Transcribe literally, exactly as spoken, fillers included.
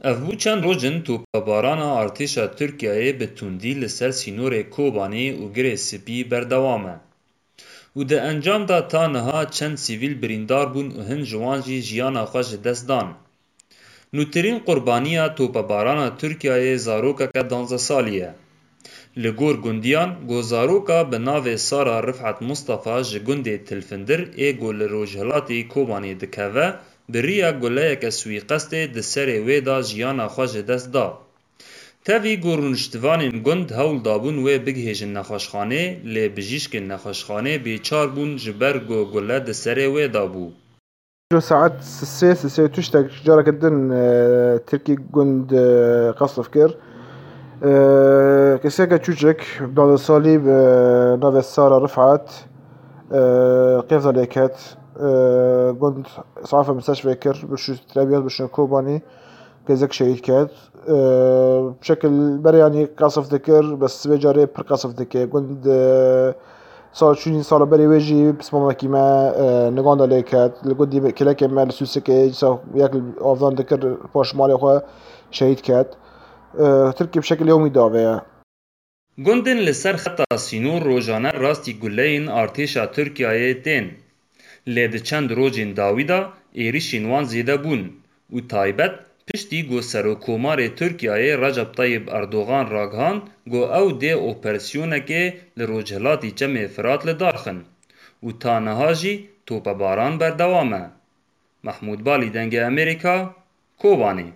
Ev bû çend roj in topebarana artêşa Tirkiyeyê bi tundî li ser sînorê Kobanê û Girê Spî berdewam e û di encam de ta niha çend sivîl birîndar bûn û hin ji wan jî jiyana xwe ji dest dan. Nûtirîn qurbaniya topebarana Tirkiyeyê zarokeke danzdeh salî ye. Li gor gundiyan, ku zaroka bi navê Sara Rifat Mustafa ji gundê Tilfindir ê ku li rojhilatê Kobanê dikeve, bi riya guleyeke swîqestê di serê wê de jiyana xwe ji dest da. Tevî ku rûniştivanên gund hewl dabûn wê bigihêjin nexweşxanê, lê bijîşkên nexweşxanê bêçar bûn ji ber ku gule di serê wê de bû. Îro saet sisê, sisê û tiştek careke din, e, Tirkî gund, e, qesf kir. E, keseke çûçik, bi navê Salî, bi navê Sara Rifat, e, qêza lê ket. E, gund saefe misteşfê kir, bi şû Trebiyat, bi şû Kobanî, qêzek şehîd ket. E, şekil berê yanî qesf dikir, bes vê carê pir qesf dike. Gund, e, Sal çûyîn sala berê wê jî pismamekî me, e, niganda lê ket. Li gundî me, kelekê me li Sûsikê, dîsa yek li avdan dikir, paş malê xwe şehîd ket. E, Tirkî bi şekilê yomî davê ye. Gundên li ser xeta sînor rojane rastî guleyên artêşa Tirkiyeyê tên. Lê di çend rojên dawî de êrişên wan zêde bûn û taybet piştî ku Serokkomarê Tirkiyeyê Recep Tayyip Erdogan ragihand ku ew dê operasyonekê li rojhilatî Çemê Firat li dar xin û ta niha jî topebaran berdewam e. Mehmûd Balî, Dengê Amerîka, Kobanê.